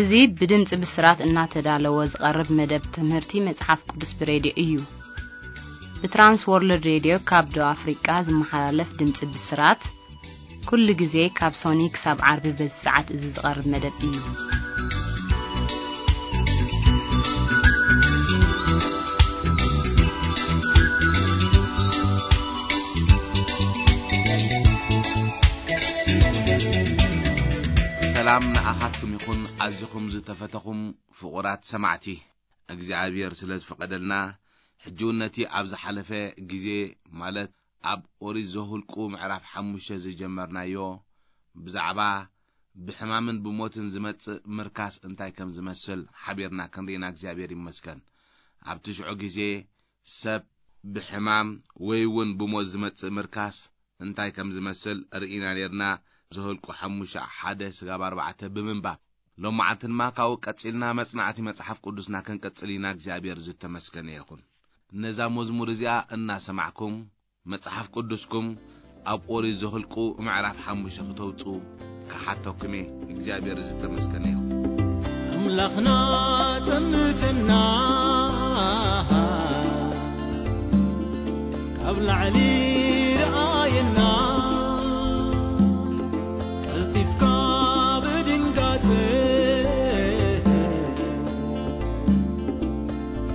እዚ ብድምፂ ብስራት እናተዳለወ ዝቐርብ መደብ ትምህርቲ መጽሓፍ ቅዱስ ብሬድዮ እዩ። ብትራንስ ወርልድ ሬድዮ ካብ ደቡብ ኣፍሪቃ ዝመሓላለፍ ድምፂ ብስራት፣ ኩሉ ግዜ ካብ ሶኒ ክሳብ ዓርቢ በዚ ሰዓት እዚ ዝቐርብ መደብ እዩ። ሰላም ንኣኻትኩም ይኹን፣ ኣዚኹም ዝተፈተኹም ፍቑራት ሰማዕቲ። እግዚኣብሔር ስለ ዝፈቐደልና፣ ሕጂ እውን ነቲ ኣብ ዝሓለፈ ግዜ፣ ማለት ኣብ ኦሪት ዘሁልቁ ምዕራፍ ሓሙሽተ ዝጀመርናዮ፣ ብዛዕባ ብሕማምን ብሞትን ዝመጽእ ምርካስ እንታይ ከም ዝመስል ሓቢርና ክንርኢና እግዚኣብሔር ይመስገን። ኣብቲ ሽዑ ግዜ ሰብ ብሕማም ወይ እውን ብሞት ዝመጽእ ምርካስ እንታይ ከም ዝመስል ርኢና ኔርና። ዘሁልቁ ሓሙሽተ ሓደ ስጋብ ኣርባዕተ ብምንባብ፣ ሎማዓንቲ ድማ ካብኡ ቀጺልና መጽናዕቲ መጽሓፍ ቅዱስና ክንቅጽል ኢና። እግዚኣብሔር ዝተመስገነ ይኹን። ነዛ መዝሙር እዚኣ እናሰማዕኩም መጽሓፍ ቅዱስኩም ኣብ ኦሪት ዘሁልቁ ምዕራፍ ሓሙሽተ ክተውጽኡ ክሓተኩም እየ። እግዚኣብሔር ዝተመስገነ ይኹን። ኣምላኽና ጠምትና ካብ ላዕሊ ረኣየና፣ ቀልጢፍካ ብድንጋጸ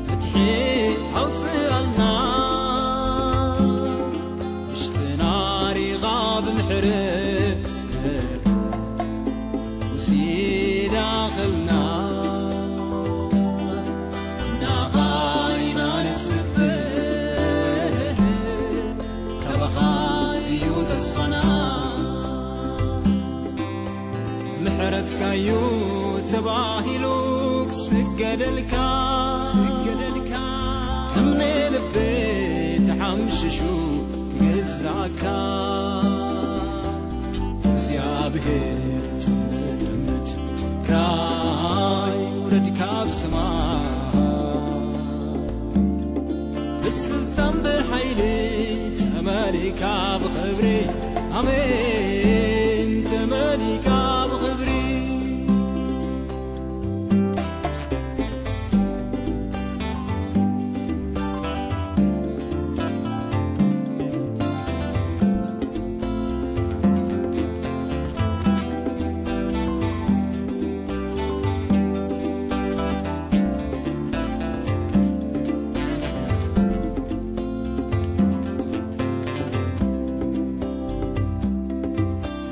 ፍትሒ ኣውጽኣልና። ውሽጥና ሪኻ ብምሕረት ውሲዳኸልና። ናኻ ኢና ንጽበ፣ ካባኻ እዩ ተስፋና። ምሕረትካዩ ተባሂሉ ክስገደልካ፣ ክስገደልካ። እምነ ልበይ ተሓምሽሹ ክግዛእካ። እግዚኣብሔር ጥምት ጥምት ራይ ውረድ ካብ ሰማይ። ብስልጣን ብሓይሊ ተመሊካ ብኽብሪ፣ ኣሜን፣ ተመሊካ ብኽብሪ።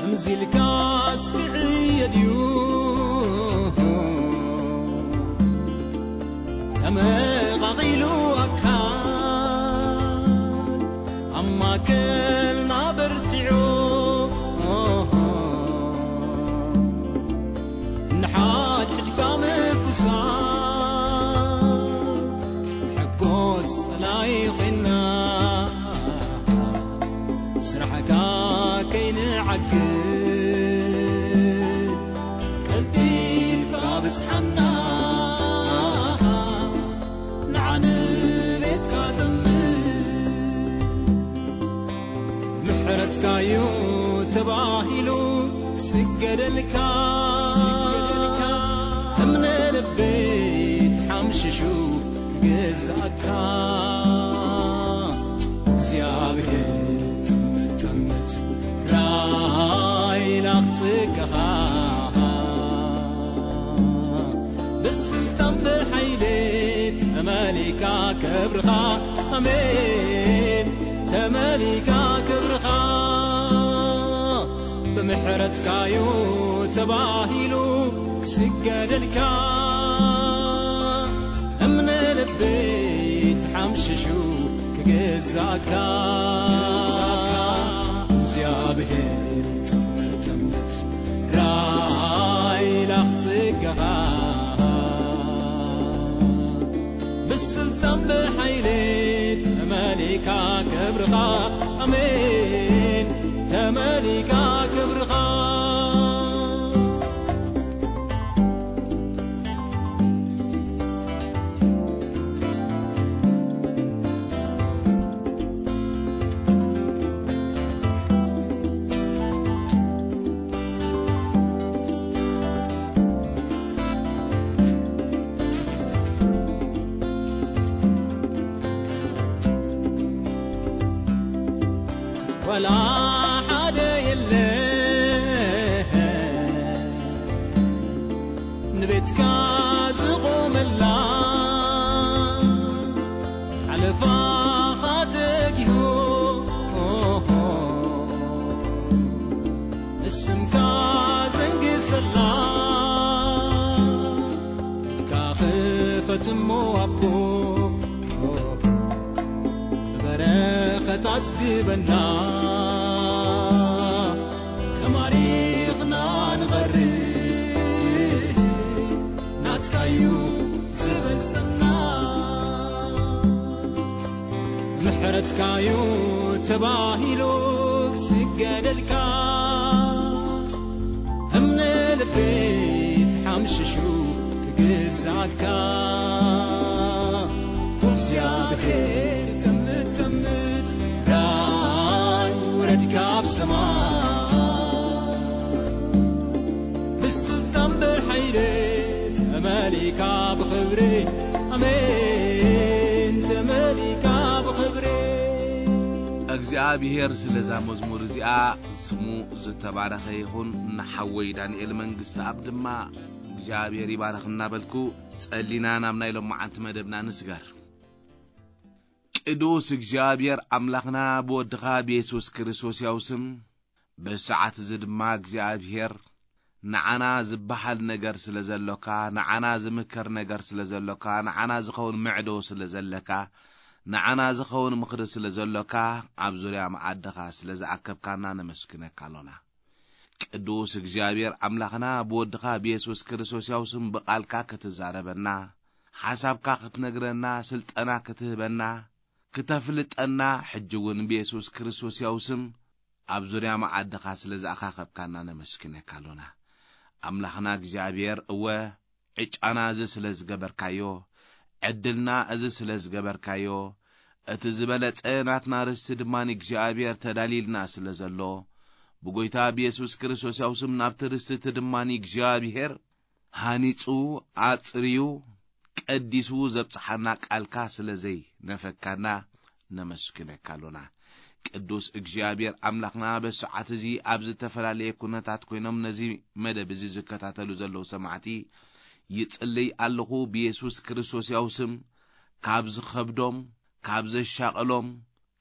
እምዚልካስ ክዕየ ድዩ ተመቓቒሉ ኣካል? ኣብ ማእከልና በርቲዑ ንሓድሕድካ ምቁሳል፣ ሕጎስ ጸላይ ኮይና ስራሕካ ከይንዓግብ ቀልጢፍካ ብጽሓና። ንዓንቤትካ ዘምር ምሕረትካዩ ተባሂሉ ክስገደልካ። እምነ ልበይ ተሓምሽሹ ክግዛእካ። እግዚኣብሔር ጥምት ጥምት ራይና ክጽገኻ። ብስልጣን ብሓይሊ ተመሊካ ክብርኻ፣ ኣሜን፣ ተመሊካ ክብርኻ። ብምሕረትካዩ ተባሂሉ ክስገደልካ። እምነ ልበይ ተሓምሽሹ ክግዛእካ። እግዚኣብሔር ጥምር ጥምት ራይ ላኽጽገኻ። ብስልጣን ብሓይሊ ተመሊካ ክብርኻ። ኣሜን። ተመሊካ ክብርኻ። ዝቆመላ ሓለፋኻ ተጊሁ እስምካ ዘንግሰላ ካኽፈትሞ ኣቦ በረኸት ኣጽግበና ተማሪኽና ንቐርብ ናትካዩ ዝበልጸና ምሕረትካዩ ተባሂሉ ክስገደልካ እምነ ልበይ ተሓምሽሹ ክግዛእካ እግዚኣብሔር ተምት ተምት ዳይ ውረድ ካብ ሰማይ ብስልጣን ብሓይሊ ተመሊካ ብኽብሪ ኣሜን ተመሊካ ብኽብሪ እግዚኣብሔር ስለዛ መዝሙር እዚኣ ስሙ ዝተባረኸ ይኹን። ንሓወይ ዳንኤል መንግስቲ ኣብ ድማ እግዚኣብሔር ይባረኽ እናበልኩ ጸሊና ናብ ናይ ሎማዓንቲ መደብና ንስገር። ቅዱስ እግዚኣብሔር ኣምላኽና ብወድኻ ብየሱስ ክርስቶስ ያው ስም በሰዓት እዚ ድማ እግዚኣብሔር ንዓና ዝበሃል ነገር ስለ ዘሎካ፣ ንዓና ዝምከር ነገር ስለ ዘሎካ፣ ንዓና ዝኸውን ምዕዶ ስለ ዘለካ፣ ንዓና ዝኸውን ምኽሪ ስለ ዘሎካ፣ ኣብ ዙርያ መኣድኻ ስለ ዝኣከብካና ነመስግነካ ኣሎና። ቅዱስ እግዚኣብሔር ኣምላኽና ብወድኻ ብየሱስ ክርስቶስ ያው ስም ብቓልካ ክትዛረበና፣ ሓሳብካ ክትነግረና፣ ስልጠና ክትህበና፣ ክተፍልጠና፣ ሕጂ እውን ብየሱስ ክርስቶስ ያው ስም ኣብ ዙርያ መኣድኻ ስለ ዝኣኻኸብካና ነመስግነካ ኣሎና። ኣምላኽና እግዚኣብሔር እወ ዕጫና እዚ ስለ ዝገበርካዮ፣ ዕድልና እዚ ስለ ዝገበርካዮ፣ እቲ ዝበለጸ ናትና ርስቲ ድማ ንእግዚኣብሔር ተዳልይልና ስለ ዘሎ፣ ብጎይታ ብየሱስ ክርስቶስ ያው ስም ናብቲ ርስቲ እቲ ድማ ንእግዚኣብሔር ሃኒጹ፣ ኣጽርዩ፣ ቀዲሱ ዘብጽሓና ቃልካ ስለ ዘይነፈካና ነመስግነካ ኣሎና። ቅዱስ እግዚኣብሔር ኣምላኽና በሰዓት እዚ ኣብ ዝተፈላለየ ኩነታት ኮይኖም ነዚ መደብ እዚ ዝከታተሉ ዘለዉ ሰማዕቲ ይጽልይ ኣለኹ ብየሱስ ክርስቶስ ያው ስም ካብ ዝኸብዶም፣ ካብ ዘሻቐሎም፣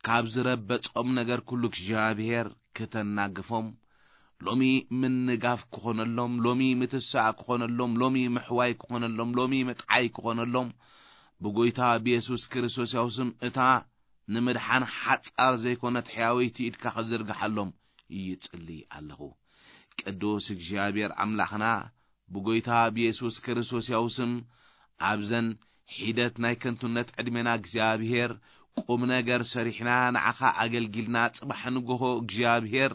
ካብ ዝረበጾም ነገር ኩሉ እግዚኣብሔር ክተናግፎም፣ ሎሚ ምንጋፍ ክኾነሎም፣ ሎሚ ምትሳእ ክኾነሎም፣ ሎሚ ምሕዋይ ክኾነሎም፣ ሎሚ ምጥዓይ ክኾነሎም፣ ብጎይታ ብየሱስ ክርስቶስ ያው ስም እታ ንምድሓን ሓጻር ዘይኮነት ሕያወይቲ ኢድካ ክዝርግሓሎም ይጽሊ ኣለኹ። ቅዱስ እግዚኣብሔር ኣምላኽና ብጎይታ ብየሱስ ክርስቶስ ያው ስም ኣብዘን ሒደት ናይ ከንቱነት ዕድሜና እግዚኣብሔር ቁም ነገር ሰሪሕና ንዓኻ ኣገልጊልና ጽባሕ ንጎሆ እግዚኣብሔር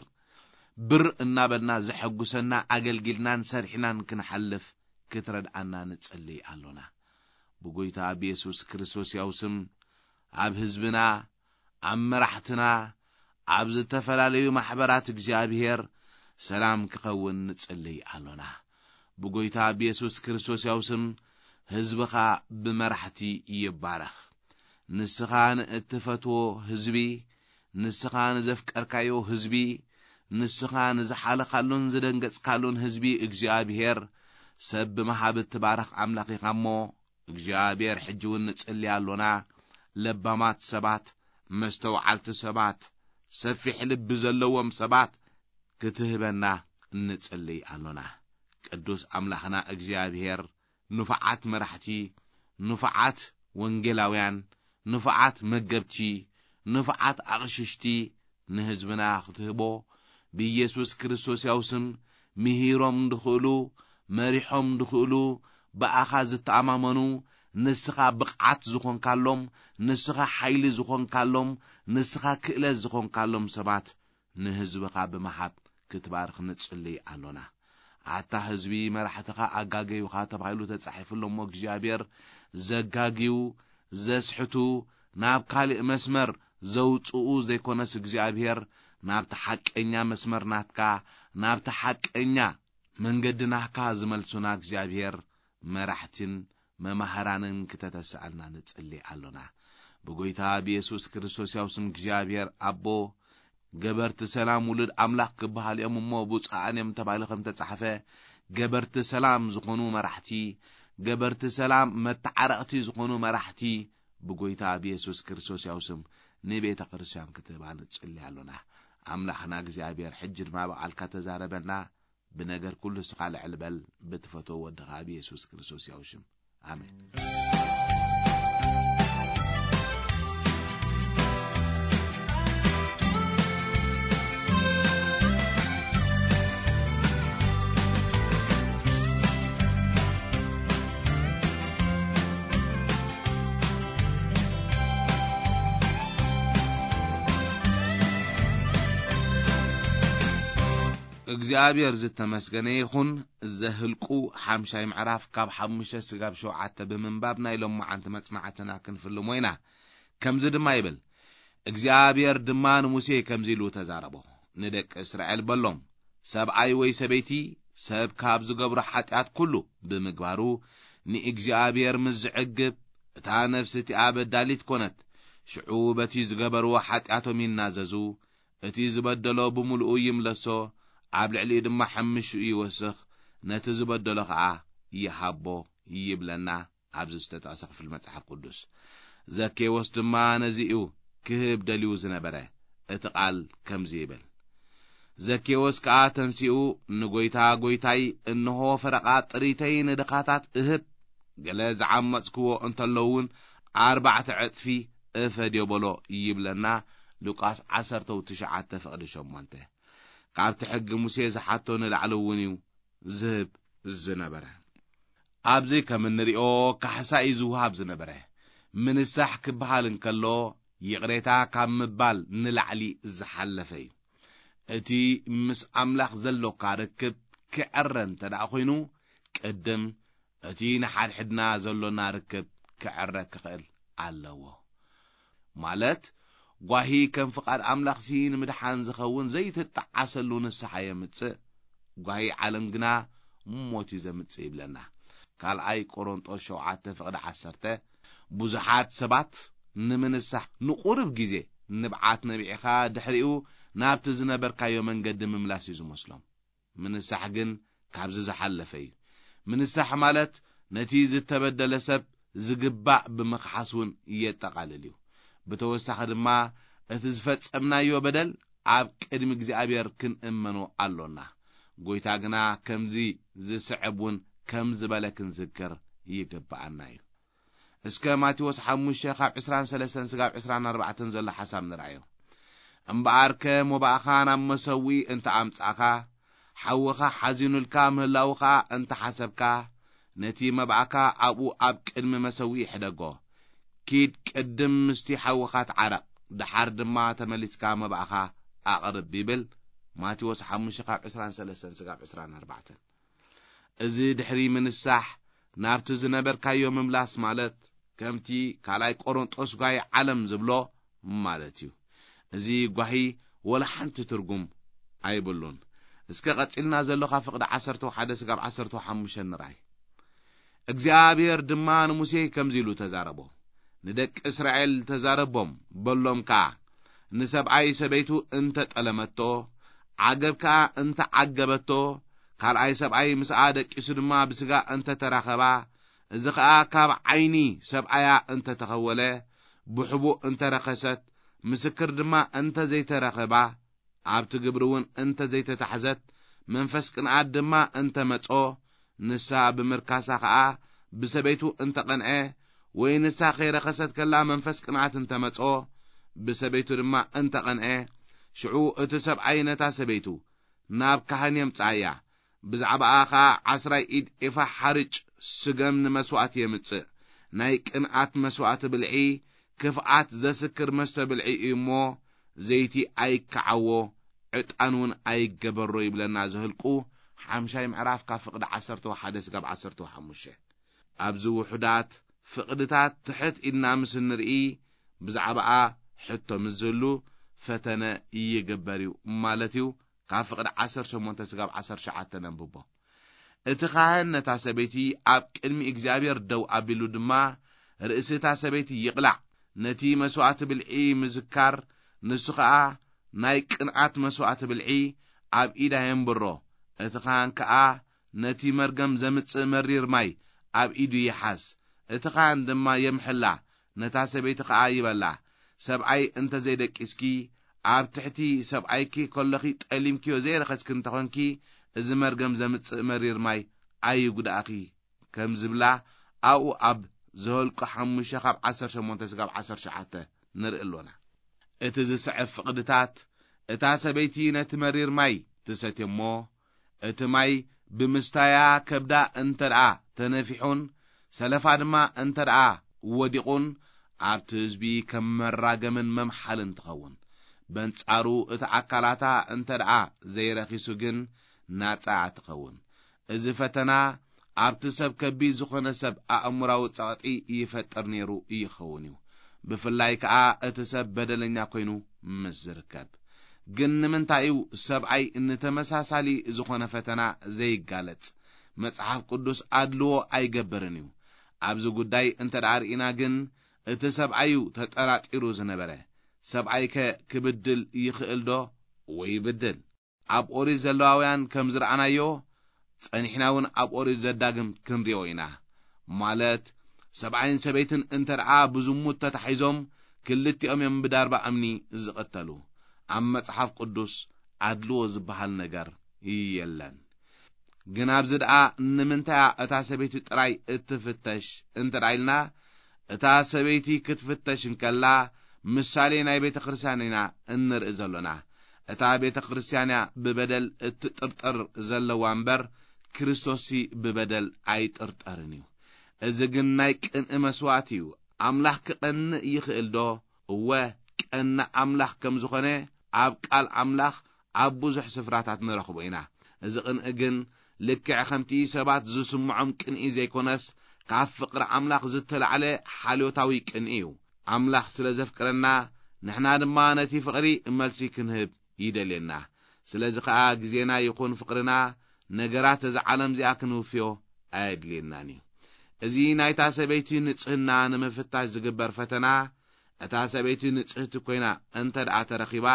ብር እናበልና ዘሐጉሰና ኣገልጊልናን ሰሪሕናን ክንሓልፍ ክትረድኣና ንጽልይ ኣሎና። ብጎይታ ብየሱስ ክርስቶስ ያው ስም ኣብ ህዝብና፣ ኣብ መራሕትና፣ ኣብ ዝተፈላለዩ ማሕበራት እግዚኣብሔር ሰላም ክኸውን ንጽልይ ኣሎና። ብጎይታ ብየሱስ ክርስቶስ ያው ስም ህዝብኻ ብመራሕቲ ይባረኽ። ንስኻ ንእትፈትዎ ህዝቢ፣ ንስኻ ንዘፍቀርካዮ ህዝቢ፣ ንስኻ ንዝሓለኻሉን ዝደንገጽካሉን ህዝቢ እግዚኣብሔር ሰብ ብምሃብ እትባረኽ ኣምላኽ ኢኻ እሞ፣ እግዚኣብሔር ሕጂ እውን ንጽሊ ኣሎና። ለባማት ሰባት፣ መስተውዓልቲ ሰባት፣ ሰፊሕ ልቢ ዘለዎም ሰባት ክትህበና ንጽሊ ኣሎና። ቅዱስ ኣምላኽና እግዚኣብሔር ንፉዓት መራሕቲ፣ ንፉዓት ወንጌላውያን፣ ንፉዓት መገብቲ፣ ንፉዓት ኣቕሽሽቲ ንህዝብና ክትህቦ ብኢየሱስ ክርስቶስ ያው ስም ምሂሮም ድኽእሉ፣ መሪሖም ድኽእሉ፣ ብኣኻ ዝተኣማመኑ፣ ንስኻ ብቕዓት ዝኾንካሎም፣ ንስኻ ሓይሊ ዝኾንካሎም፣ ንስኻ ክእለት ዝኾንካሎም ሰባት ንህዝብኻ ብምሃብ ክትባርኽ ንጽልይ ኣሎና። ኣታ ህዝቢ መራሕትኻ ኣጋገዩኻ ተባሂሉ ተጻሒፉ ኣሎ እሞ እግዚኣብሔር ዘጋግዩ፣ ዘስሕቱ፣ ናብ ካልእ መስመር ዘውጽኡ ዘይኮነስ እግዚኣብሔር ናብቲ ሓቀኛ መስመር ናትካ፣ ናብቲ ሓቀኛ መንገዲ ናህካ ዝመልሱና እግዚኣብሔር መራሕትን መማህራንን ክተተስኣልና ንጽሊ ኣሎና። ብጎይታ ብየሱስ ክርስቶስ ያው ስም እግዚኣብሔር ኣቦ ገበርቲ ሰላም ውሉድ ኣምላኽ ክበሃሉ እዮም እሞ ብፁዓን እዮም ተባሂሉ ከም ተጻሕፈ፣ ገበርቲ ሰላም ዝኾኑ መራሕቲ፣ ገበርቲ ሰላም መተዓረቕቲ ዝኾኑ መራሕቲ ብጎይታ ብየሱስ ክርስቶስ ያው ስም ንቤተ ክርስቲያን ክትህባ ንጽሊ ኣሎና። ኣምላኽና እግዚኣብሔር ሕጂ ድማ ብቓልካ ተዛረበና፣ ብነገር ኩሉ እስኻ ልዕል በል፣ ብትፈትዎ ወድኻ ብየሱስ ክርስቶስ ያው ሽም። ኣሜን። እግዚኣብሔር ዝተመስገነ ይኹን። ዘህልቁ ሓምሻይ ምዕራፍ ካብ ሓሙሽተ ስጋብ ሸውዓተ ብምንባብ ናይ ሎማዓንቲ መጽናዕትና ክንፍልሞ ኢና። ከምዚ ድማ ይብል፣ እግዚኣብሔር ድማ ንሙሴ ከምዚ ኢሉ ተዛረቦ፣ ንደቂ እስራኤል በሎም፣ ሰብኣይ ወይ ሰበይቲ ሰብ ካብ ዝገብሮ ሓጢኣት ኩሉ ብምግባሩ ንእግዚኣብሔር ምስ ዝዕግብ፣ እታ ነፍሲ እቲኣ በዳሊት ኮነት። ሽዑ በቲ ዝገበርዎ ሓጢኣቶም ይናዘዙ፣ እቲ ዝበደሎ ብምሉኡ ይምለሶ፣ ኣብ ልዕሊኡ ድማ ሓምሽኡ ይወስኽ፣ ነቲ ዝበደሎ ኸኣ ይሃቦ ይብለና ኣብዚ ዝተጠቕሰ ክፍል መጽሓፍ ቅዱስ። ዘኬዎስ ድማ ነዚ እዩ ክህብ ደልዩ ዝነበረ። እቲ ቃል ከምዚ ይብል፣ ዘኬዎስ ከኣ ተንሲኡ፣ ንጎይታ፣ ጎይታይ፣ እንሆ ፈረቓ ጥሪተይ ንድኻታት እህብ፣ ገለ ዝዓመጽክዎ እንተሎ እውን ኣርባዕተ ዕጽፊ እፈድዮ በሎ ይብለና። ሉቃስ ዓሰርተ ትሽዓተ ፍቕዲ ሸሞንተ። ካብቲ ሕጊ ሙሴ ዝሓቶ ንላዕሊ እውን እዩ ዝህብ ዝነበረ። ኣብዚ ከም እንሪኦ ካሕሳ እዩ ዝውሃብ ዝነበረ። ምንሳሕ ክበሃል እንከሎ ይቕሬታ ካብ ምባል ንላዕሊ ዝሓለፈ እዩ። እቲ ምስ ኣምላኽ ዘሎካ ርክብ ክዕረ እንተ ደኣ ኮይኑ፣ ቅድም እቲ ንሓድሕድና ዘሎና ርክብ ክዕረ ክኽእል ኣለዎ። ማለት፣ ጓሂ ከም ፍቓድ ኣምላኽሲ ንምድሓን ዝኸውን ዘይትጠዓሰሉ ንስሓ የምጽእ፣ ጓሂ ዓለም ግና ሞት እዩ ዘምጽእ ይብለና። ካልኣይ ቆሮንጦስ ሸውዓተ ፍቕዲ ዓሰርተ። ብዙሓት ሰባት ንምንሳሕ ንቑሩብ ግዜ ንብዓት ነቢዕኻ ድሕሪኡ ናብቲ ዝነበርካዮ መንገዲ ምምላስ እዩ ዝመስሎም። ምንሳሕ ግን ካብዚ ዝሓለፈ እዩ። ምንሳሕ ማለት ነቲ ዝተበደለ ሰብ ዝግባእ ብምኽሓስ እውን የጠቓልል እዩ። ብተወሳኺ ድማ እቲ ዝፈጸምናዮ በደል ኣብ ቅድሚ እግዚኣብሔር ክንእመኖ ኣሎና። ጎይታ ግና ከምዚ ዝስዕብ እውን ከም ዝበለ ክንዝክር ይግብኣና እዩ። እስከ ማቴዎስ ሓሙሽተ ካብ ዕስራን ሰለስተን ስጋብ ዕስራን ኣርባዕተን ዘሎ ሓሳብ ንርኣዮ። እምበኣርከ መባእኻ ናብ መሰውኢ እንተ ኣምጻእካ፣ ሓውኻ ሓዚኑልካ ምህላዉ ኸኣ እንተ ሓሰብካ፣ ነቲ መባእካ ኣብኡ ኣብ ቅድሚ መሰውኢ ሕደጎ። ኪድ ቅድም ምስቲ ሓውኻ ተዓረቕ፣ ደሓር ድማ ተመሊስካ መባእኻ ኣቕርብ ይብል። ማቴዎስ ሓሙሽተ ካብ ዕስራን ሰለስተን ስጋብ ዕስራን ኣርባዕተን። እዚ ድሕሪ ምንሳሕ ናብቲ ዝነበርካዮ ምምላስ ማለት ከምቲ ካልኣይ ቆሮንጦስ ጓሂ ዓለም ዝብሎ ማለት እዩ። እዚ ጓሂ ወላ ሓንቲ ትርጉም ኣይብሉን። እስከ ቀጺልና ዘሎ ካብ ፍቕዲ ዓሰርተ ሓደ ስጋብ ዓሰርተ ሓሙሽተ ንርኣይ። እግዚኣብሔር ድማ ንሙሴ ከምዚ ኢሉ ተዛረቦ፣ ንደቂ እስራኤል ተዛረቦም፣ በሎም ከኣ፣ ንሰብኣይ ሰበይቱ እንተ ጠለመቶ፣ ዓገብ ከኣ እንተ ዓገበቶ፣ ካልኣይ ሰብኣይ ምስኣ ደቂሱ ድማ ብስጋ እንተ ተራኸባ፣ እዚ ኸኣ ካብ ዓይኒ ሰብኣያ እንተ ተኸወለ፣ ብሕቡእ እንተ ረኸሰት፣ ምስክር ድማ እንተ ዘይተረኸባ፣ ኣብቲ ግብሪ እውን እንተ ዘይተታሕዘት፣ መንፈስ ቅንኣት ድማ እንተ መጾ፣ ንሳ ብምርካሳ ኸኣ ብሰበይቱ እንተ ቐንዐ፣ ወይ ንሳ ከይረኸሰት ከላ መንፈስ ቅንኣት እንተ መጾ፣ ብሰበይቱ ድማ እንተ ቐንዐ፣ ሽዑ እቲ ሰብኣይ ነታ ሰበይቱ ናብ ካህን የምጽኣያ። ብዛዕባኣ ኸኣ ዓስራይ ኢድ ኤፋ ሓርጭ ስገም ንመስዋእቲ የምጽእ። ናይ ቅንኣት መስዋእቲ ብልዒ፣ ክፍኣት ዘስክር መስተ ብልዒ እዩ እሞ፣ ዘይቲ ኣይከዓዎ፣ ዕጣን እውን ኣይገበሮ ይብለና ዘህልቁ ሓምሻይ ምዕራፍ ካብ ፍቕዲ ዓሰርተ ሓደ ስጋብ ዓሰርተ ሓሙሽተ። ኣብዚ ውሑዳት ፍቕድታት ትሕት ኢልና ምስ እንርኢ፣ ብዛዕባኣ ሕቶ ምስ ዝህሉ ፈተነ ይግበር እዩ ማለት እዩ። ካብ ፍቕዲ ዓሰርተ ሸሞንተ ስጋብ ዓሰርተ ትሽዓተ ነንብቦ። እቲ ኻህን ነታ ሰበይቲ ኣብ ቅድሚ እግዚኣብሔር ደው ኣቢሉ ድማ፣ ርእሲ እታ ሰበይቲ ይቕላዕ፣ ነቲ መስዋእቲ ብልዒ ምዝካር፣ ንሱ ኸኣ ናይ ቅንዓት መስዋእቲ ብልዒ ኣብ ኢዳ የንብሮ። እቲ ካህን ከኣ ነቲ መርገም ዘምጽእ መሪር ማይ ኣብ ኢዱ ይሓዝ። እቲ ካህን ድማ የምሕላ፣ ነታ ሰበይቲ ከኣ ይበላ። ሰብኣይ እንተ ዘይደቂስኪ፣ ኣብ ትሕቲ ሰብኣይኪ ከሎኺ ጠሊምክዮ ዘይረኸስኪ እንተኾንኪ፣ እዚ መርገም ዘምጽእ መሪር ማይ ኣይጉዳእኺ፣ ከም ዝብላ ኣብኡ ኣብ ዘኍልቁ ሓሙሽተ ካብ ዓሰርተ ሸሞንተ እስካብ ዓሰርተ ትሽዓተ ንርኢ ኣሎና። እቲ ዝስዕብ ፍቕድታት፣ እታ ሰበይቲ ነቲ መሪር ማይ ትሰትዮ እሞ፣ እቲ ማይ ብምስታያ ከብዳ እንተ ደኣ ተነፊሑን ሰለፋ ድማ እንተ ደኣ ወዲቑን፣ ኣብቲ ህዝቢ ከም መራገምን መምሓልን ትኸውን። በንጻሩ እቲ ኣካላታ እንተ ደኣ ዘይረኺሱ ግን ናጻ ትኸውን። እዚ ፈተና ኣብቲ ሰብ ከቢድ ዝኾነ ሰብ ኣእምራዊ ጸቕጢ ይፈጥር ነይሩ ይኸውን እዩ። ብፍላይ ከኣ እቲ ሰብ በደለኛ ኮይኑ ምስ ዝርከብ። ግን ንምንታይ እዩ ሰብኣይ ንተመሳሳሊ ዝኾነ ፈተና ዘይጋለጽ? መጽሓፍ ቅዱስ ኣድልዎ ኣይገብርን እዩ። ኣብዚ ጉዳይ እንተ ደኣ ርኢና ግን፣ እቲ ሰብኣይ እዩ ተጠራጢሩ ዝነበረ። ሰብኣይከ ክብድል ይኽእል ዶ? ወይ ይብድል? ኣብ ኦሪት ዘለዋውያን ከም ዝረኣናዮ፣ ጸኒሕና እውን ኣብ ኦሪት ዘዳግም ክንሪኦ ኢና። ማለት፣ ሰብኣይን ሰበይትን እንተ ደኣ ብዝሙት ተታሒዞም፣ ክልቲኦም እዮም ብዳርባ እምኒ ዝቕተሉ። ኣብ መጽሓፍ ቅዱስ ኣድልዎ ዝበሃል ነገር የለን። ግን ኣብዚ ደኣ ንምንታይ እያ እታ ሰበይቲ ጥራይ እትፍተሽ እንተ ደኣ ኢልና፣ እታ ሰበይቲ ክትፍተሽ እንከላ፣ ምሳሌ ናይ ቤተ ክርስቲያን ኢና እንርኢ ዘሎና። እታ ቤተ ክርስቲያን እያ ብበደል እትጥርጠር ዘለዋ እምበር፣ ክርስቶስሲ ብበደል ኣይጥርጠርን እዩ። እዚ ግን ናይ ቅንኢ መስዋእቲ እዩ። ኣምላኽ ክቐንእ ይኽእል ዶ? እወ፣ ቀናእ ኣምላኽ ከም ዝኾነ ኣብ ቃል ኣምላኽ ኣብ ብዙሕ ስፍራታት ንረኽቦ ኢና። እዚ ቅንኢ ግን ልክዕ ከምቲ ሰባት ዝስምዖም ቅንኢ ዘይኮነስ፣ ካብ ፍቕሪ ኣምላኽ ዝተላዕለ ሓልዮታዊ ቅንኢ እዩ። ኣምላኽ ስለ ዘፍቅረና፣ ንሕና ድማ ነቲ ፍቕሪ መልሲ ክንህብ ይደልየና። ስለዚ ኸኣ ግዜና ይኹን ፍቕርና፣ ነገራት እዛ ዓለም እዚኣ ክንውፍዮ ኣየድልየናን እዩ። እዚ ናይታ ሰበይቲ ንጽህና ንምፍታሽ ዝግበር ፈተና፣ እታ ሰበይቲ ንጽህቲ ኮይና እንተ ደኣ ተረኺባ፣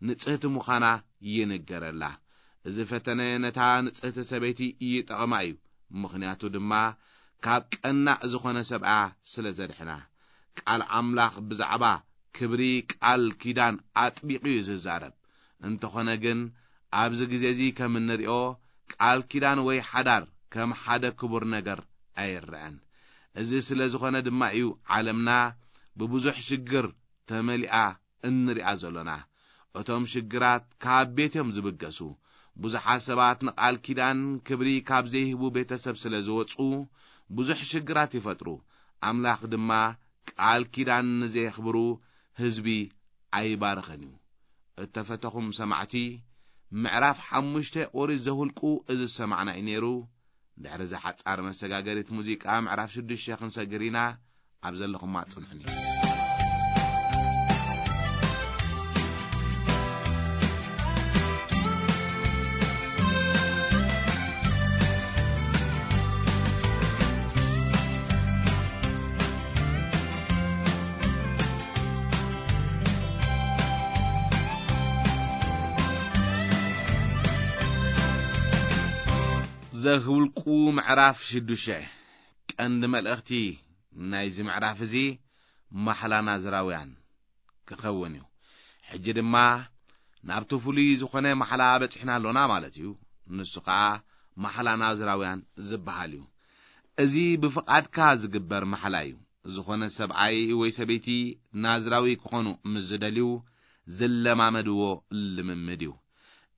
ንጽህቲ ምዃና ይንገረላ። እዚ ፈተነ ነታ ንጽህቲ ሰበይቲ ይጠቕማ እዩ፣ ምኽንያቱ ድማ ካብ ቀናእ ዝኾነ ሰብኣ ስለ ዘድሕና። ቃል ኣምላኽ ብዛዕባ ክብሪ ቃል ኪዳን ኣጥቢቑ እዩ ዝዛረብ። እንተኾነ ግን፣ ኣብዚ ግዜ እዚ ከም እንሪኦ፣ ቃል ኪዳን ወይ ሓዳር ከም ሓደ ክቡር ነገር ኣይረኣን። እዚ ስለ ዝኾነ ድማ እዩ ዓለምና ብብዙሕ ሽግር ተመሊኣ እንሪኣ ዘሎና። እቶም ሽግራት ካብ ቤት እዮም ዝብገሱ። ብዙሓት ሰባት ንቃል ኪዳን ክብሪ ካብ ዘይህቡ ቤተሰብ ስለ ዝወጹ፣ ብዙሕ ሽግራት ይፈጥሩ። ኣምላኽ ድማ ቃል ኪዳን ንዘየኽብሩ ህዝቢ ኣይባርኽን እዩ። እተፈተኹም ሰማዕቲ፣ ምዕራፍ ሓሙሽተ ኦሪት ዘኍልቁ እዚ ዝሰማዕና እዩ ነይሩ። ድሕሪ እዛ ሓጻር መሰጋገሪት ሙዚቃ፣ ምዕራፍ ሽዱሽተ ክንሰግር ኢና። ኣብ ዘለኹማ ጽንሑኒ። ዘኍልቁ ምዕራፍ ሽዱሽተ። ቀንዲ መልእኽቲ ናይዚ ምዕራፍ እዚ ማሕላ ናዝራውያን ክኸውን እዩ። ሕጂ ድማ ናብቲ ፍሉይ ዝኾነ ማሕላ በጺሕና ኣሎና ማለት እዩ። ንሱ ኸኣ ማሕላ ናዝራውያን ዝበሃል እዩ። እዚ ብፍቓድካ ዝግበር ማሕላ እዩ። ዝኾነ ሰብኣይ ወይ ሰበይቲ ናዝራዊ ክኾኑ ምስ ዝደልዩ ዝለማመድዎ ልምምድ እዩ።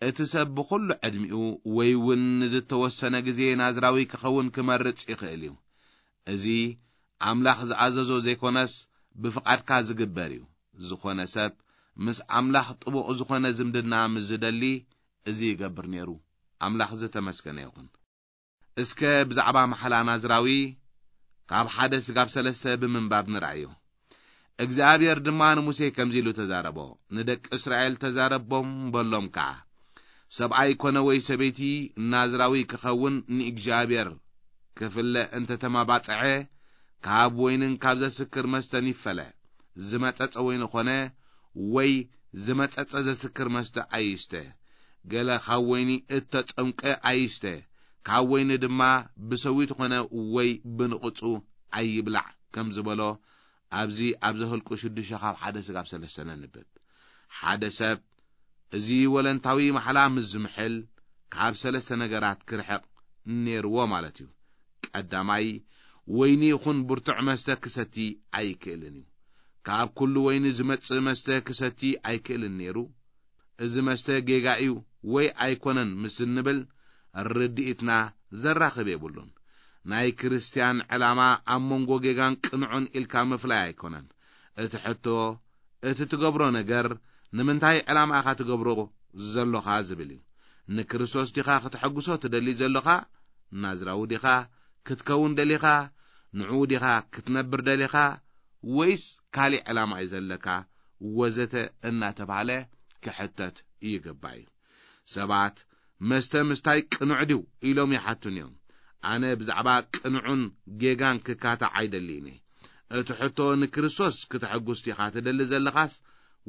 እቲ ሰብ ብኹሉ ዕድሚኡ ወይ እውን ንዝተወሰነ ግዜ ናዝራዊ ክኸውን ክመርጽ ይኽእል እዩ። እዚ ኣምላኽ ዝኣዘዞ ዘይኮነስ ብፍቓድካ ዝግበር እዩ። ዝኾነ ሰብ ምስ ኣምላኽ ጥቡቕ ዝኾነ ዝምድና ምስ ዝደሊ፣ እዚ ይገብር ነይሩ። ኣምላኽ ዝተመስገነ ይኹን። እስከ ብዛዕባ ማሕላ ናዝራዊ ካብ ሓደ ስጋብ ሰለስተ ብምንባብ ንርኣዮ። እግዚኣብሔር ድማ ንሙሴ ከምዚ ኢሉ ተዛረቦ፣ ንደቂ እስራኤል ተዛረቦም በሎም ከኣ፣ ሰብኣይ ኮነ ወይ ሰበይቲ ናዝራዊ ክኸውን ንእግዚኣብሔር ክፍለ እንተ ተመባጽዐ፣ ካብ ወይንን ካብ ዘስክር መስተን ይፈለ። ዝመጸጸ ወይኒ ኾነ ወይ ዝመጸጸ ዘስክር መስተ ኣይስተ፣ ገለ ካብ ወይኒ እተጸምቀ ኣይስተ፣ ካብ ወይኒ ድማ ብሰዊት ኾነ ወይ ብንቕጹ ኣይብላዕ ከም ዝበሎ፣ ኣብዚ ኣብ ዘኍልቁ ሽዱሽተ ካብ ሓደ ስጋብ ሰለስተ ነንብብ። ሓደ ሰብ እዚ ወለንታዊ ማሕላ ምስ ዝምሕል፣ ካብ ሰለስተ ነገራት ክርሕቕ ነይርዎ ማለት እዩ። ቀዳማይ፣ ወይኒ ይኹን ብርቱዕ መስተ ክሰቲ ኣይክእልን እዩ። ካብ ኩሉ ወይኒ ዝመጽእ መስተ ክሰቲ ኣይክእልን ነይሩ። እዚ መስተ ጌጋ እዩ ወይ ኣይኮነን ምስ እንብል፣ ርድኢትና ዘራኽብ የብሉን። ናይ ክርስትያን ዕላማ ኣብ መንጎ ጌጋን ቅኑዕን ኢልካ ምፍላይ ኣይኮነን። እቲ ሕቶ፣ እቲ ትገብሮ ነገር ንምንታይ ዕላማ ኢኻ ትገብሮ ዘሎኻ ዝብል እዩ። ንክርስቶስ ዲኻ ክተሐጉሶ ትደሊ ዘሎኻ? ናዝራዊ ዲኻ ክትከውን ደሊኻ? ንዕኡ ዲኻ ክትነብር ደሊኻ? ወይስ ካሊእ ዕላማ እዩ ዘለካ? ወዘተ እናተባህለ ክሕተት ይግባእ እዩ። ሰባት መስተ ምስታይ ቅኑዕ ድዩ ኢሎም ይሓቱን እዮም። ኣነ ብዛዕባ ቅኑዕን ጌጋን ክካታዕ ኣይደልይን እየ። እቲ ሕቶ ንክርስቶስ ክተሐጉስ ዲኻ ትደሊ ዘለኻስ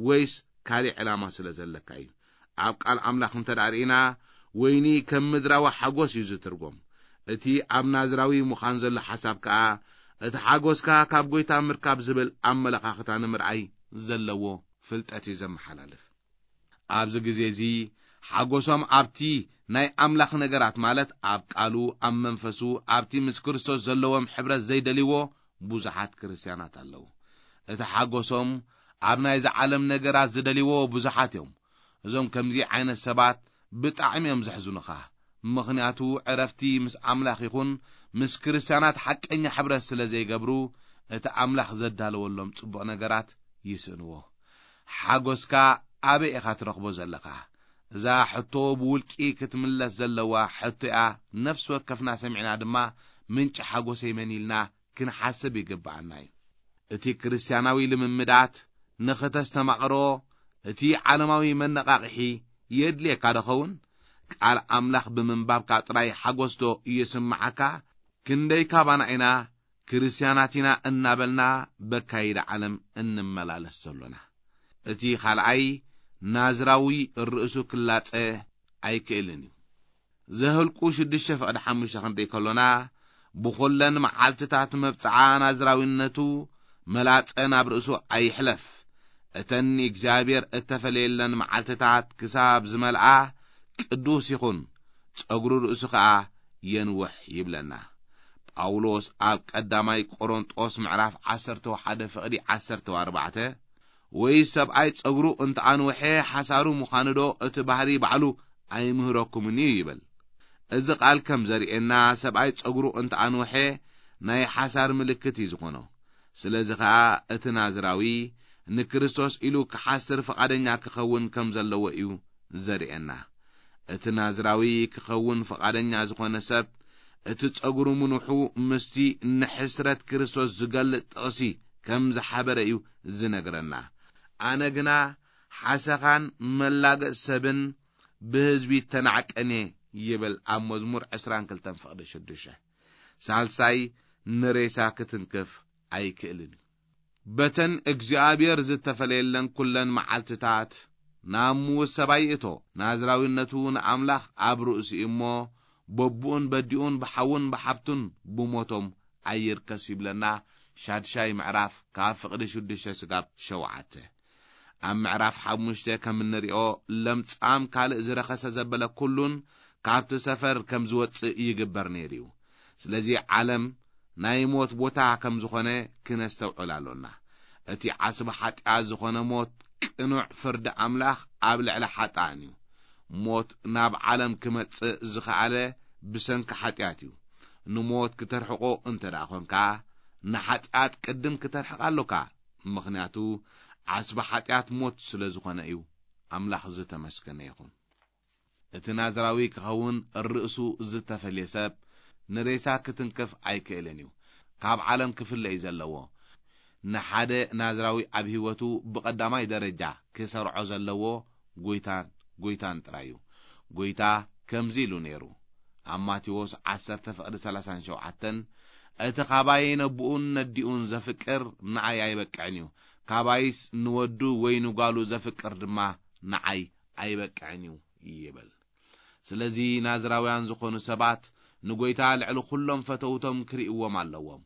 ወይስ ካሊእ ዕላማ ስለ ዘለካ እዩ? ኣብ ቃል ኣምላኽ እንተ ደኣ ርኢና፣ ወይኒ ከም ምድራዊ ሓጎስ እዩ ዝትርጎም። እቲ ኣብ ናዝራዊ ምዃን ዘሎ ሓሳብ ከኣ፣ እቲ ሓጎስካ ካብ ጐይታ ምርካብ ዝብል ኣመለኻኽታ ንምርኣይ ዘለዎ ፍልጠት እዩ ዘመሓላልፍ። ኣብዚ ግዜ እዚ ሓጎሶም ኣብቲ ናይ ኣምላኽ ነገራት፣ ማለት ኣብ ቃሉ፣ ኣብ መንፈሱ፣ ኣብቲ ምስ ክርስቶስ ዘለዎም ሕብረት ዘይደልይዎ ብዙሓት ክርስትያናት ኣለዉ። እቲ ሓጎሶም ኣብ ናይዚ ዓለም ነገራት ዝደልይዎ ብዙሓት እዮም። እዞም ከምዚ ዓይነት ሰባት ብጣዕሚ እዮም ዘሕዝኑኻ። ምኽንያቱ ዕረፍቲ ምስ ኣምላኽ ይኹን ምስ ክርስትያናት ሓቀኛ ሕብረት ስለ ዘይገብሩ፣ እቲ ኣምላኽ ዘዳለወሎም ጽቡቕ ነገራት ይስእንዎ። ሓጎስካ ኣበይ ኢኻ ትረኽቦ ዘለኻ? እዛ ሕቶ ብውልቂ ክትምለስ ዘለዋ ሕቶ እያ። ነፍሲ ወከፍና ሰሚዕና ድማ ምንጪ ሓጎሰይ መን ኢልና ክንሓስብ ይግብኣና እዩ። እቲ ክርስትያናዊ ልምምዳት ንኽተስተማቕሮ እቲ ዓለማዊ መነቓቕሒ የድልየካ ዶ ኸውን? ቃል ኣምላኽ ብምንባብካ ጥራይ ሓጎስ ዶ ይስምዓካ? ክንደይ ካባና ኢና ክርስትያናት ኢና እናበልና በካይዳ ዓለም እንመላለስ ዘሎና? እቲ ኻልኣይ፣ ናዝራዊ ርእሱ ክላጸ ኣይክእልን እዩ። ዘኍልቁ ሽዱሽተ ፍቕዲ ሓሙሽተ ክንርኢ ከሎና፣ ብኹለን መዓልትታት መብጽዓ ናዝራዊነቱ መላጸ ናብ ርእሱ ኣይሕለፍ። እተን እግዚኣብሔር እተፈለየለን መዓልትታት ክሳብ ዝመልኣ ቅዱስ ይኹን፣ ጸጉሩ ርእሱ ኸኣ የንውሕ ይብለና። ጳውሎስ ኣብ ቀዳማይ ቆሮንጦስ ምዕራፍ ዓሰርተ ሓደ ፍቕዲ ዓሰርተ ኣርባዕተ፣ ወይ ሰብኣይ ጸጉሩ እንተ ኣንውሐ ሓሳሩ ምዃኑ ዶ እቲ ባህሪ ባዕሉ ኣይምህረኩምን እዩ ይብል። እዚ ቃል ከም ዘርእየና፣ ሰብኣይ ጸጉሩ እንተ ኣንውሐ ናይ ሓሳር ምልክት እዩ ዝኾኖ። ስለዚ ኸኣ እቲ ናዝራዊ ንክርስቶስ ኢሉ ክሓስር ፍቓደኛ ክኸውን ከም ዘለዎ እዩ ዘርእየና። እቲ ናዝራዊ ክኸውን ፍቓደኛ ዝኾነ ሰብ፣ እቲ ጸጉሩ ምንውሑ ምስቲ ንሕስረት ክርስቶስ ዝገልጽ ጥቕሲ ከም ዝሓበረ እዩ ዝነግረና። ኣነ ግና ሓሰኻን መላገጽ ሰብን ብህዝቢ ተናዕቀን እየ ይብል ኣብ መዝሙር ዕስራን ክልተን ፍቕዲ ሽዱሽተ። ሳልሳይ፣ ንሬሳ ክትንክፍ ኣይክእልን እዩ። በተን እግዚኣብሔር ዝተፈለየለን ኩለን መዓልትታት ናብ ምዉት ሰብኣይ ይእቶ። ናዝራዊነቱ ንኣምላኽ ኣብ ርእሱ እዩ እሞ፣ በብኡን በዲኡን ብሓውን ብሓብቱን ብሞቶም ኣይርከስ ይብለና። ሻድሻይ ምዕራፍ ካብ ፍቕዲ ሽዱሽተ ስጋብ ሸውዓተ። ኣብ ምዕራፍ ሓሙሽተ ከም እንሪኦ፣ ለምጻም ካልእ ዝረኸሰ ዘበለ ኩሉን ካብቲ ሰፈር ከም ዝወጽእ ይግበር ነይሩ እዩ። ስለዚ ዓለም ናይ ሞት ቦታ ከም ዝኾነ ክነስተውዕል ኣሎና። እቲ ዓስቢ ሓጢኣት ዝኾነ ሞት ቅኑዕ ፍርዲ ኣምላኽ ኣብ ልዕሊ ሓጥኣን እዩ። ሞት ናብ ዓለም ክመጽእ ዝኸኣለ ብሰንኪ ሓጢኣት እዩ። ንሞት ክተርሕቆ እንተ ደኣ ኾንካ፣ ንሓጢኣት ቅድም ክተርሕቕ ኣሎካ። ምኽንያቱ ዓስቢ ሓጢኣት ሞት ስለ ዝኾነ እዩ። ኣምላኽ ዝተመስገነ ይኹን። እቲ ናዝራዊ ክኸውን ርእሱ ዝተፈልየ ሰብ ንሬሳ ክትንክፍ ኣይክእልን እዩ። ካብ ዓለም ክፍለ እዩ ዘለዎ። ንሓደ ናዝራዊ ኣብ ህይወቱ ብቐዳማይ ደረጃ ክሰርዖ ዘለዎ ጎይታን ጎይታን ጥራይ እዩ። ጎይታ ከምዚ ኢሉ ነይሩ። ኣብ ማቴዎስ ዓሰርተ ፍቕዲ ሰላሳን ሸውዓተን፣ "እቲ ኻባይ ነብኡን ነዲኡን ዘፍቅር ንኣይ ኣይበቅዕን እዩ፣ ካባይስ ንወዱ ወይ ንጓሉ ዘፍቅር ድማ ንዓይ ኣይበቅዕን እዩ ይብል። ስለዚ ናዝራውያን ዝኾኑ ሰባት ንጎይታ ልዕሊ ኩሎም ፈተውቶም ክርእይዎም ኣለዎም።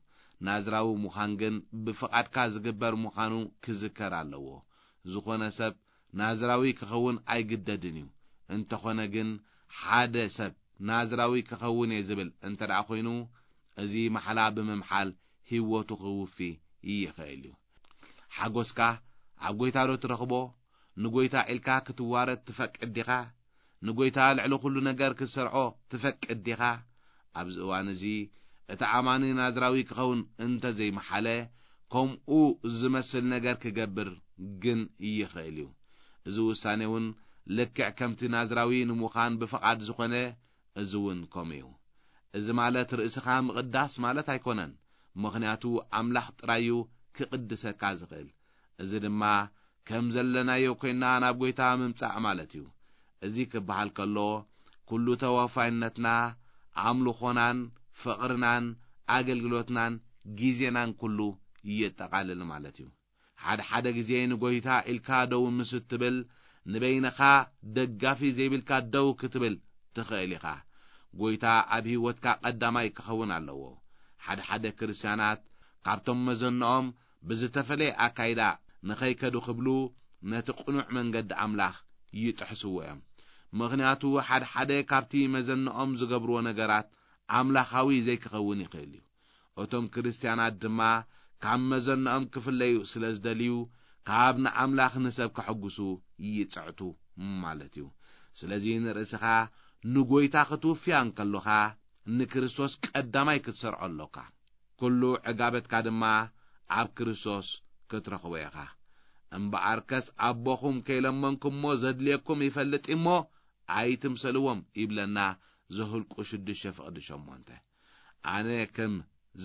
ናዝራዊ ምዃን ግን ብፍቓድካ ዝግበር ምዃኑ ክዝከር ኣለዎ። ዝኾነ ሰብ ናዝራዊ ክኸውን ኣይግደድን እዩ። እንተኾነ ግን ሓደ ሰብ ናዝራዊ ክኸውን እየ ዝብል እንተ ደኣ ኮይኑ፣ እዚ ማሕላ ብምምሓል ህይወቱ ክውፊ ይኽእል እዩ። ሓጎስካ ኣብ ጎይታ ዶ ትረኽቦ? ንጎይታ ኢልካ ክትዋረድ ትፈቅድ ዲኻ? ንጎይታ ልዕሊ ኩሉ ነገር ክትሰርዖ ትፈቅድ ዲኻ? ኣብዚ እዋን እዚ እቲ ኣማኒ ናዝራዊ ክኸውን እንተ ዘይመሓለ፣ ከምኡ ዝመስል ነገር ክገብር ግን ይኽእል እዩ። እዚ ውሳኔ እውን ልክዕ ከምቲ ናዝራዊ ንምዃን ብፍቓድ ዝኾነ፣ እዚ እውን ከምኡ እዩ። እዚ ማለት ርእስኻ ምቕዳስ ማለት ኣይኮነን፣ ምኽንያቱ ኣምላኽ ጥራይ እዩ ክቕድሰካ ዝኽእል። እዚ ድማ ከም ዘለናዮ ኮይንና ናብ ጎይታ ምምጻእ ማለት እዩ። እዚ ክበሃል ከሎ፣ ኩሉ ተወፋይነትና፣ ኣምልኾናን፣ ፍቕርናን፣ ኣገልግሎትናን፣ ግዜናን ኩሉ የጠቓልል ማለት እዩ። ሓደ ሓደ ግዜ ንጎይታ ኢልካ ደው ምስ እትብል፣ ንበይንኻ ደጋፊ ዘይብልካ ደው ክትብል ትኽእል ኢኻ። ጎይታ ኣብ ህይወትካ ቀዳማይ ክኸውን ኣለዎ። ሓደ ሓደ ክርስትያናት ካብቶም መዘንኦም ብዝተፈለየ ኣካይዳ ንኸይከዱ ክብሉ፣ ነቲ ቅኑዕ መንገዲ ኣምላኽ ይጥሕስዎ እዮም። ምኽንያቱ፣ ሓደ ሓደ ካብቲ መዘንኦም ዝገብርዎ ነገራት ኣምላኻዊ ዘይክኸውን ይኽእል እዩ። እቶም ክርስትያናት ድማ ካብ መዘንኦም ክፍለዩ ስለ ዝደልዩ፣ ካብ ንኣምላኽ ንሰብ ከሐጉሱ ይጽዕቱ ማለት እዩ። ስለዚ ንርእስኻ ንጎይታ ክትውፍያ እንከሎኻ፣ ንክርስቶስ ቀዳማይ ክትሰርዖ ኣሎካ። ኩሉ ዕጋበትካ ድማ ኣብ ክርስቶስ ክትረኽቦ ኢኻ። እምበኣርከስ ኣቦኹም ከይለመንኩሞ ዘድልየኩም ይፈልጥ እሞ ኣይትምሰልዎም ይብለና ዘኍልቁ ሽዱሽተ ፍቕዲ ሸሞንተ። ኣነ ከም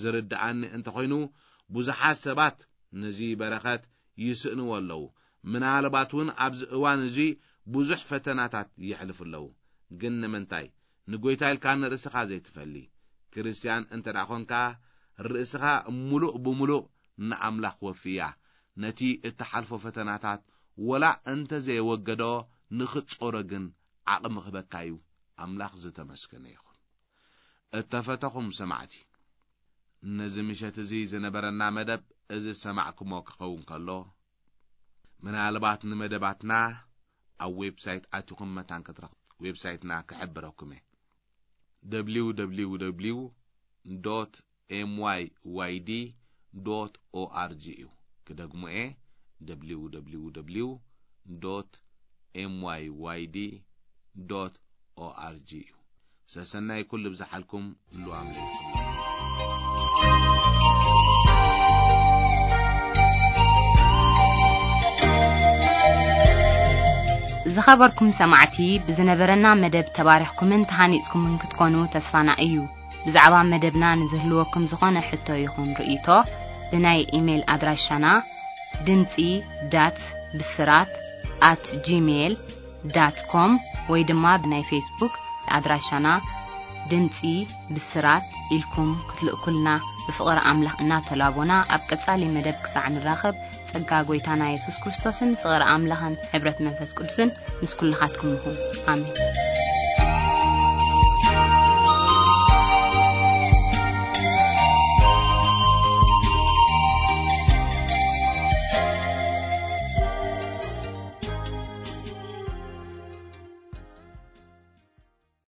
ዝርድኣኒ እንተኾይኑ፣ ብዙሓት ሰባት ነዚ በረኸት ይስእንዎ ኣለዉ። ምናልባት እውን ኣብዚ እዋን እዚ ብዙሕ ፈተናታት የሕልፉ ኣለዉ። ግን ንምንታይ ንጎይታ ኢልካ ንርእስኻ ዘይትፈሊ? ክርስትያን እንተ ደኣ ኾንካ፣ ርእስኻ ምሉእ ብምሉእ ንኣምላኽ ወፍያ። ነቲ እትሓልፎ ፈተናታት ወላ እንተ ዘየወገዶ፣ ንኽትጾሮ ግን ዓቕሚ ክህበካ እዩ። ኣምላኽ ዝተመስገነ ይኹን። እተፈተኹም ሰማዕቲ፣ ነዚ ምሸት እዚ ዝነበረና መደብ እዚ ዝሰማዕኩሞ ክኸውን ከሎ፣ ምናልባት ንመደባትና ኣብ ዌብሳይት ኣቲኹም መታን ክትረኽቡ፣ ዌብሳይትና ክሕብረኩም እየ። www dot myyd dot org እዩ። ክደግሞ እየ፣ www dot myyd dot org እዩ። ሰሰናይ ኩሉ ብዝሓልኩም፣ ህሉው ኣምላኽ ይኹን። ዝኸበርኩም ሰማዕቲ፣ ብዝነበረና መደብ ተባሪኽኩምን ተሃኒጽኩምን ክትኮኑ ተስፋና እዩ። ብዛዕባ መደብና ንዝህልወኩም ዝኾነ ሕቶ ይኹን ርእይቶ፣ ብናይ ኢሜይል ኣድራሻና ድምጺ ዳት ብስራት ኣት ጂሜይል ዳት ኮም ወይ ድማ ብናይ ፌስቡክ ኣድራሻና ድምጺ ብስራት ኢልኩም ክትልእኩልና ብፍቕሪ ኣምላኽ እናተላቦና፣ ኣብ ቀጻሊ መደብ ክሳዕ ንራኸብ፣ ጸጋ ጐይታና የሱስ ክርስቶስን ፍቕሪ ኣምላኽን ሕብረት መንፈስ ቅዱስን ምስ ኩልኻትኩም ይኹን። ኣሜን።